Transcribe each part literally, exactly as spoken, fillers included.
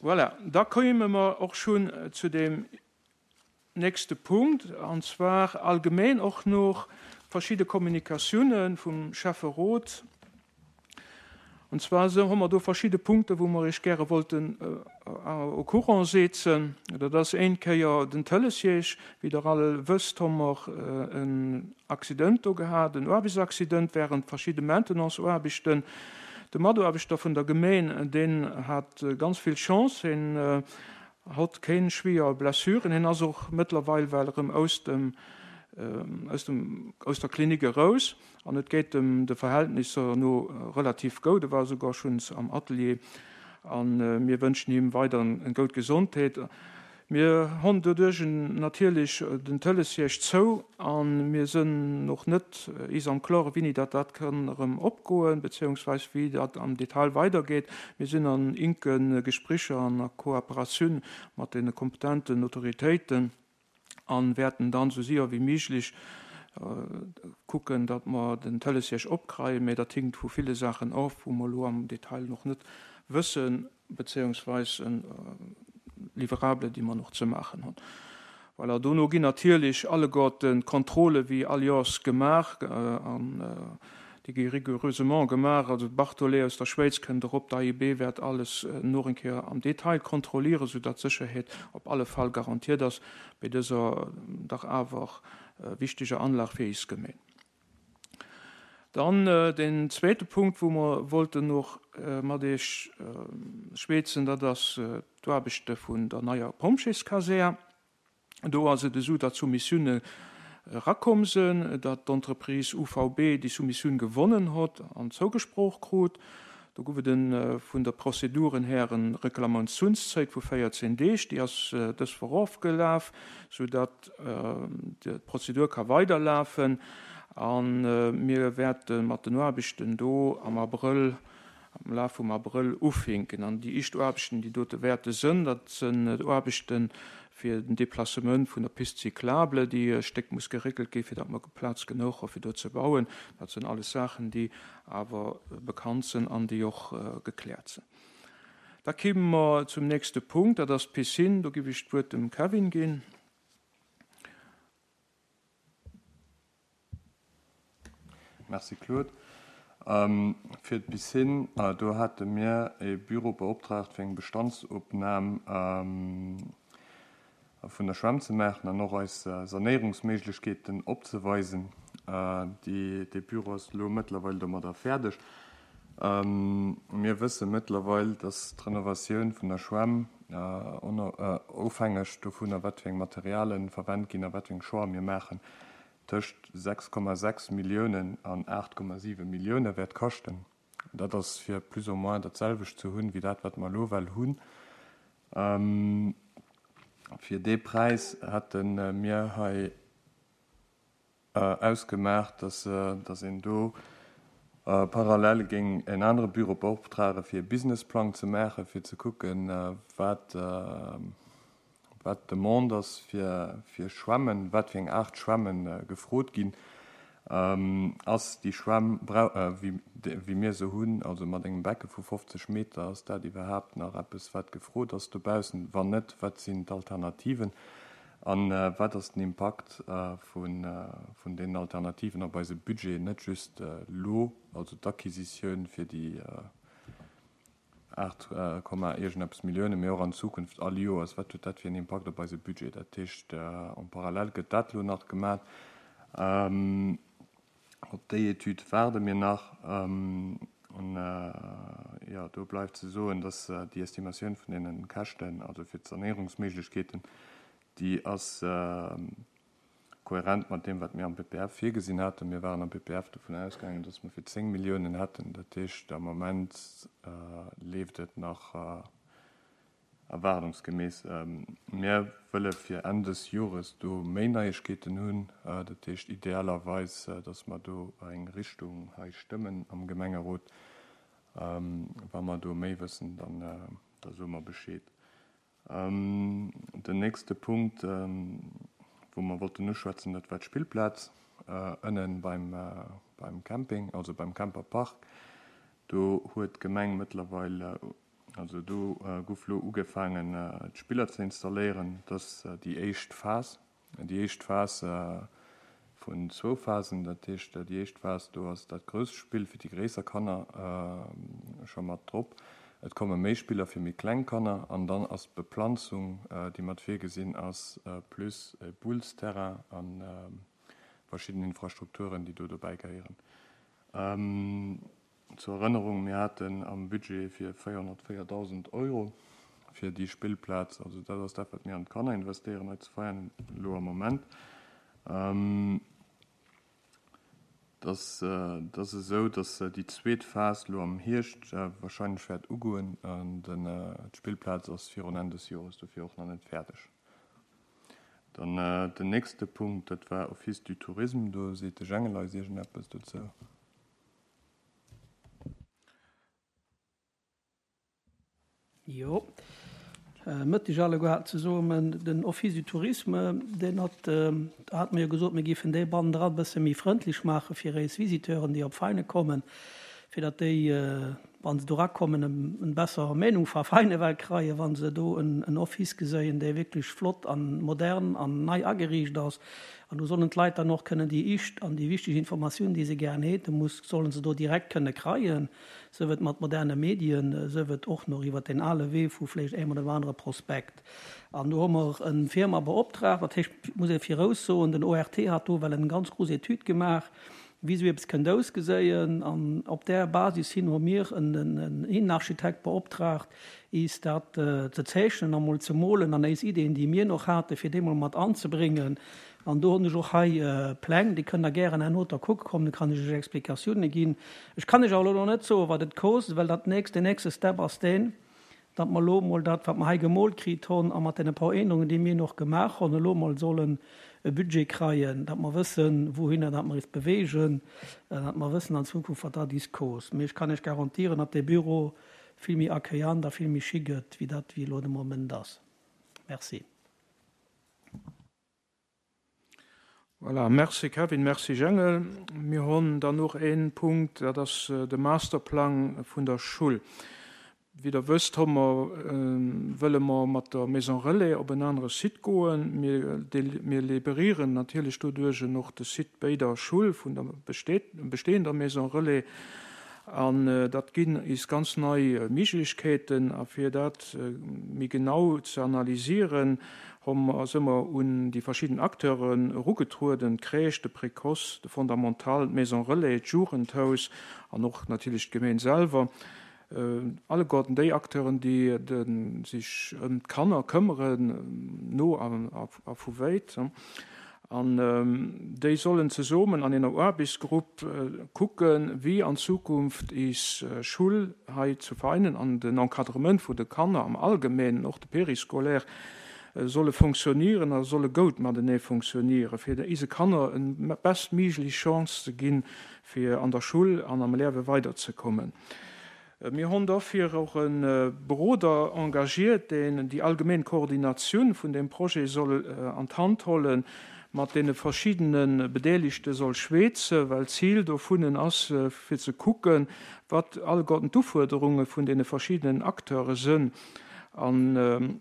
Voilà, da kéime mer och schonn zu deem nächste Punkt, an zwar allgemeng och nach verschidde Kommunikatiounen vum Schäfferot. An zwar sou hu mer do verschidde Punkte wou mer iech gäre wollten au courant setzen. Dat ass eng Kéier den Tëlesjeeg. Wéi der all wësst, hu mer en Accident do gehat, en Aarbechtsaccident während verschidde Maintenanceaarbechten. De Mataarbechter vun der Gemeng, deen hat ganz vill Chance, hien hat keng schwéier Blessuren, hien ass och mëttlerweil well erëm aus dem aus dem aus der Klinik eraus an et geet em de Verhältnisser no relativ goud, e war souguer schonns am Atelier an mir wënschen him weider eng goud Gesondheet. Mir hunn doduerch natierlech den Tëlesjeeg zou a mir sinn och net is am Klore wéini dat dat kann erëm opgoen, beziehungsweise wéi dat am Detail weidergeet. Mir sinn an enke Gespréicher an a Kooperatioun mat de kompetenten Autoritéiten an wäerten dann esou séier wéi méiglech kucken, datt mer den Tëlesjeeg opkreien, mä dat hinkt vu ville Saachen of, wou mer elo am Detail nach net wëssen, beziehungsweise Livrable, déi mer nach ze maachen hunn. Voilà, dono ginn natierlech alleguerten d'Kontrolle wéi all Joers gemaach an déi gi rigoureusement gemaach. Also d'Bartholet aus der Schwäiz kënnt erop, d'A I B wäert alles nach eng Kéier am Detail kontrollieren, soudatt d'Sécherheet op alle Fall garantiert ass bei dëser dach awer wichteger Anlag fir eis Gemeng. Dann den zweete Punkt, wou mer wollten nach mat Iech schwätzen, dat ass d'Aarbechte vun der neier Pompjeeskasär. Do ass et esou, datt Soumissioune erakomm sinn, datt d'Entreprise U V B déi Soumissioun gewonnen huet an zougesproch krut. Do gouf et vun der Prozeduren här en Reklamatiounszäit vu véierzéng Deeg, déi ass dës Woch ofgelaf, soudatt d'Prozedur ka weiderlafen a mir wäerte mat den Aarbechten do am Abrëll, am Laf vum Abrëll ufänken. An déi éischt Aarbechten, déi dote wäerte sënn, dat sënn d'Aarbechte fir den Déplacement vun der Piste cyclable, déi e Stéck muss geréckelt gi fir datt mer Plaz genuch hu fir do ze bauen. Dat sinn alles Saachen, déi awer bekannt sinn an déi och gekläert sinn. Da kéime mer zum nächste Punkt, dat ass d'Piscine. Do géif ech d'Wuert dem Kevin ginn. Merci Claude. Fir d'Piscine, do hate mir e Büro beoptraagt fir eng Bestandsopnam vun der Schwämm ze maachen an och eis Sanéierungsméiglechkeeten opzeweisen. Dee Büro ass elo mëttlerweil domadder fäerdeg. Mir wësse mëttlerweil, dass d'Renovatioun vun der Schwämm, ofhängeg dovunner wat fir eng Materialen verwent ginn a wat fir eng Choix mir maachen, tëscht sechs Komma sechs Milliounen an aacht Komma siwe Millioune wäert kaschten. Dat ass fir plus ou moins dat selwecht ze hunn, wéi dat wat mer elo well hunn. Fir dee Präis hätte mir hei ausgemaach, dass dass een do parallel géing en anere Büro beoptrage fir e Businessplang ze maachen, fir ze kucken, wat wat d'Demande ass fir fir Schwämmen, wat fir eng Aart Schwämme gefrot ginn. Ass déi Schwämm, wéi mir se hunn, also mat engem Becke vu fofzeg Meter, ass dat iwwerhaapt nach eppes, wat gefrot ass dobaussen? Wann net, wat sinn d'Alternativen? A wat ass den Impakt vun deenen Alternativen op eise Budget, net just elo, also d'Acquisitioun fir déi aacht Komma iergendeppes Millioune, mee och an Zukunft all Joers, wat huet dat fir en Impakt op eise Budget? Dat heescht, en parallèle gëtt dat elo nach gemaach. Op déi Etüd waarde mir nach. An, jo, do bleift ze soen, dass déi Estimatioun vun deene Käschten, also fir d'Sanéierungsméiglechkeeten, déi ass kohärent mat deem, wat mir am P P F virgesinn haten. Mir waren am P P F dovun ausgaangen, dass mer fir zéng Milliounen hätten. Dat heescht, am Moment leeft et nach erwaardungsgemäss. Mir wëlle fir Enn des Jores do méi Neiegkeeten hunn. Dat heescht idealerweis, dass mer do eng Richtung hei stëmmen am Gemengerot. Wa mer do méi wëssen, dann da soe mer Bescheed. Den nächste Punkt, wou mer wollten uschwätzen, dat war d'Spillplaz ënnen beim beim Camping, also beim Camperpark. Do huet d'Gemeng mëttlerweil Also do gouf lo ugefaangen d'Spiller ze installéieren. Dat ass déi éischt Phas. Déi éischt Phas vun zwou Phasen. Dat heescht, déi éischt Phas, do ass dat grousst Spill fir déi gréisser Kanner scho mat drop. Et komme méi Spiller fir méi kleng Kanner an dann ass d'Beplanzung, déi mat virgesinn ass, plus e Boulesterrain a verschidden Infrastrukturen, déi do dobäi gehéieren. Zur Erënnerung, Mir haten am Budget fir véierhonnertvéierdausend Euro fir déi Spillplaz. Also dat ass dat, wat mir an d'Kanner investéieren hei zu Veianen elo am Moment. Et ass esou, datt déi zweet Phas elo am Hierscht wahrscheinlech wäert ugoen an d'Spillplaz ass virun Enn des Jores dofir och nach net fäerdeg. Dann den nächste Punkt, dat war Office du Tourisme. Do seet de Jengel eis iergendeppes dozou. Jo, Mëtteg alleguer zesummen. Den Office du Tourisme, deen hat, do hate mir jo gesot, mir géifen dee bannendran e bësse méi frëndlech maache fir éis Visiteuren, déi op Veinen kommen, fir datt déi, wa se do erakommen, en besser Meenung va Veinen ewell kreien, wa se do en Office geséien, dee wierklech flott an modern an nei ageriicht ass. An do sollen d'Leit dann och kënnen déi ischt an déi wichteg Informatiounen, déi se gären hate muss, sollen se do direkt kënne kreien, sief et mat moderne Medien, sief et och nach iwwert deen ale Wee vu vläicht engem oder anere Prospekt. An do hu mer en Firma beoptraagt, dat heescht, muss ee viraus soen, den O R T hat do well en ganz grouss Etüd gemaach, wéi esou eppes kënnt ausgeséien. An op där Basis hin hu mir en, en, en Innenarchitekt beoptraagt, is dat ze zeechnen a mol ze molen an éis Ideen, déi mir noch haten, fir déi mol mat anzebréngen. An do hunn ech och hei Pläng, déi kënnt der gären herno da kucke kommen, da kann ech iech Explikatioune ginn. Ech kann iech awer elo nach net soen, wat et kost, well dat nächst, den nächste Step ass deen, datt mer elo mol dat, wat mer hei gemoolt kritt hunn, a mat deene paar Ännerungen, déi mir noch gemaach hunn, elo mol sollen e Budget kreien, datt mer wëssen, wouhinner dat mer is bewegen, datt mer wëssen an Zukunft, wat dat is kost. Mee ech kann iech garantieren, datt dee Büro vill méi accueillant a vill méi chic gëtt, wéi dat, wéi elo de Moment ass. Merci. Voilà, merci Kevin, merci Jengel. Mir hunn dann noch een Punkt, dat ass de Masterplang vun der Schul. Wéi der wësst, hu mer, wëlle mer mat der Maison Relais op en anere Site goen. Mir, mir liberieren natierlech doduerch och de Site bei der Schul vun der bestehender Maison Relais. An dat ginn is ganz nei Méiglechkeeten, a fir dat méi genau ze analysieren, hu mer, si mer un déi verschidden Acteuren erugetrueden, d'Crèche, de Précoce, de Fondamental, d'Maison Relais, d'Jugendhaus an och natierlech d'Gemeng selwer. Alleguerten déi Acteuren, déi sech ëm d'Kanner këmmeren, no a, a vu wäit. An déi sollen zesummen an enger Aarbechtsgrupp kucken, wéi an Zukunft is Schul hei zu Veinen an den Encadrement vun de Kanner am Allgemeinen, och de Périscolaire, solle funktionieren a solle goud matenee funktionieren, fir ise Kanner en bestméiglech Chance ze ginn, fir an der Schul an am Liewe weiderzekommen. Mir hunn dofir och en Beroder engagiert, deen déi allgemeng Koordinatioun vun dem Projet soll an d'Hand hollen, mat deene verschiddene Bedeeligte soll schwätzen, well Ziel dovunnen ass, fir ze kucken, wat alleguerten d'Ufuerderunge vun deene verschiddenen Acteure sinn an,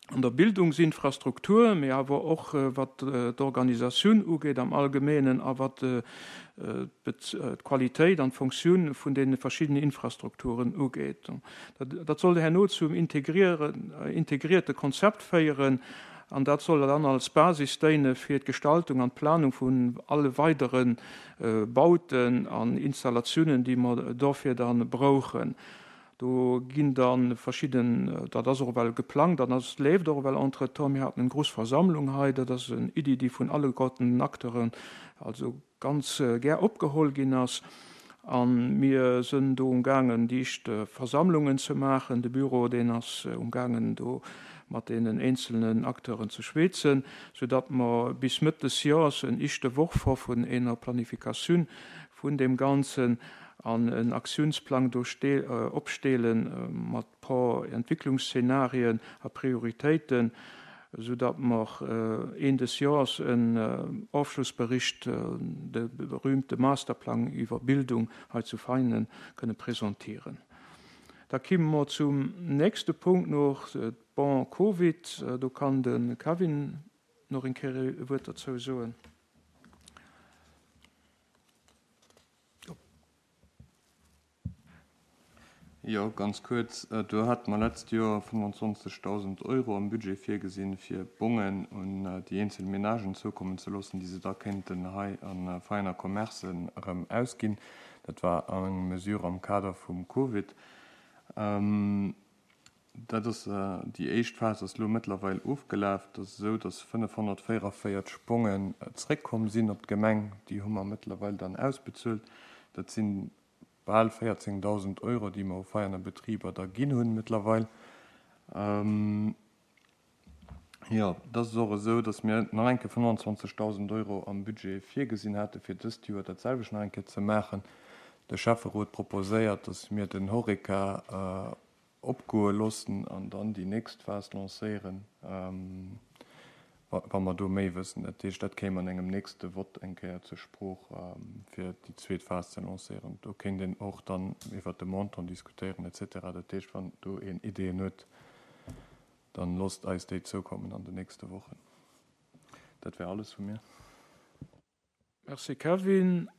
an der Bildungsinfrastruktur, mee awer och wat d'Organisatioun ugeet am Allgemeenen a wat d'Qualitéit an d'Funktioun vun deene verschiddenen Infrastrukturen ugeet. Dat, dat soll herno zum integrierte Konzept féieren, an dat soll dann als Basis déine fir d'Gestaltung an d'Planung vun alle weideren Bauten an Installatiounen, déi mer dofir dann brauchen. Do ginn dann verschidden, dat ass och well geplangt, dann ass leeft och well entretemps. Mir haten eng grouss Versammlung hei, dat ass eng Iddi, déi vun alleguerten Acteuren also ganz gär opgeholl ginn ass. An mir sinn do umgaangen, déi éischt Versammlungen ze maachen. De Büro, deen ass umgaangen, do mat deenen einzelnen Acteuren ze schwätzen, sodatt mer bis Mëtt des Jahres en éischte Worf vun enger Planifikatioun vun dem Ganzen an en Aktiounsplang do opstellen mat paar Entwicklungsszenarien a Prioritéiten, sodatt mer Enn des Jahres en Ofschlussbericht, de berühmte Masterplan iwwer Bildung hei zu Veinen kënne präsentieren. Da kimme mer zum nächste Punkt nach, d'Bon Covid. Do kann de Kevin nach eng Kéier e Wuert derzou soen. Jo, ganz kuerz, Do hate mer d'letzt Joer fënnwanzwanzegdausend Euro am Budget virgesinn, fir Bongen un déi eenzel Menagen zoukommen ze loossen, déi se da kéinten hei a Veiener Commercen erëm ausginn. Dat war eng Mesure am Kader vum Covid. Dat ass, déi éischt Phas ass elo mëttlerweil ofgelaf. Et ass esou, datt fënnefhonnertvéierunvéierzeg Bongen zréckkomm sinn op d'Gemeng. Déi hu mer mëttlerweil dann ausbezuelt. Dat sinn bal véierzéngdausend Euro, déi mer u Veiener Betriber da ginn hunn mëttlerweil. Jo, et ass och esou, datt mir nach eng Kéier fënnwanzwanzegdausend Euro am Budget virgesinn hate fir dëst Joer dat selwecht nach eng Kéier ze maachen. De Schäfferot proposéiert, datt mir den Horeca opgoe loossen an dann déi nächst Phas lancéieren, wa mer do méi wëssen. Dat heescht, dat kéim an engem nächste Vott eng Kéier zur Sprooch, fir déi zweet Phas ze lancéieren. Do kéint een och dann iwwert de Montant diskutéieren et cetera. Dat heescht, wann do een Ideeën huet, dann loosst eis déi zoukommen an den nächste Wochen. Dat wär alles vu mir. Merci Kevin.